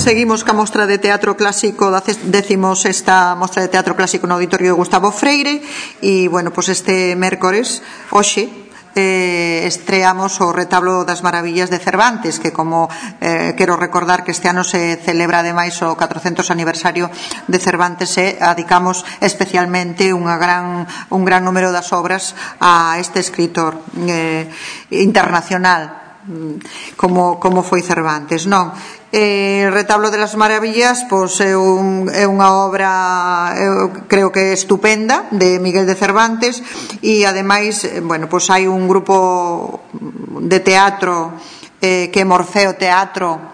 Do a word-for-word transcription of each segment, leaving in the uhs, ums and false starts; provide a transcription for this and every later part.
Seguimos ca mostra de teatro clásico da décimo sexta mostra de teatro clásico no Auditorio de Gustavo Freire e, bueno, pois este mércores, hoxe, eh, estreamos o Retablo das Maravillas de Cervantes, que como eh, quero recordar que este ano se celebra ademais o catrocentos aniversario de Cervantes e adicamos especialmente unha gran, un gran número das obras a este escritor eh, internacional como, como foi Cervantes, non? Eh, Retablo de las Maravillas pois é, un, é unha obra eu creo que estupenda de Miguel de Cervantes e ademais, bueno, pois hai un grupo de teatro eh, que é Morfeo Teatro,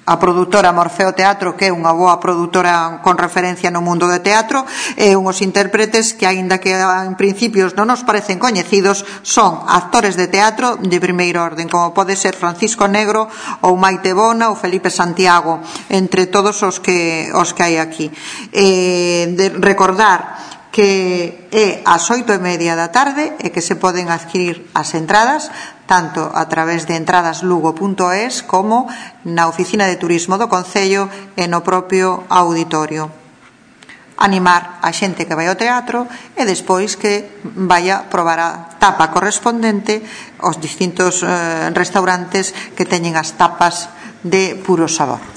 a produtora Morfeo Teatro, que é unha boa produtora con referencia no mundo do teatro, e unhos intérpretes que, aínda que en principios non nos parecen coñecidos, son actores de teatro de primeiro orden, como pode ser Francisco Negro ou Maite Bona ou Felipe Santiago, entre todos os que os que hai aquí. Eh, de recordar que é ás oito e media da tarde e que se poden adquirir as entradas tanto a través de entradas lugo punto es como na oficina de turismo do Concello e no propio auditorio. Animar a xente que vai ao teatro e despois que vaya probar a tapa correspondente aos distintos eh, restaurantes que teñen as tapas de puro sabor.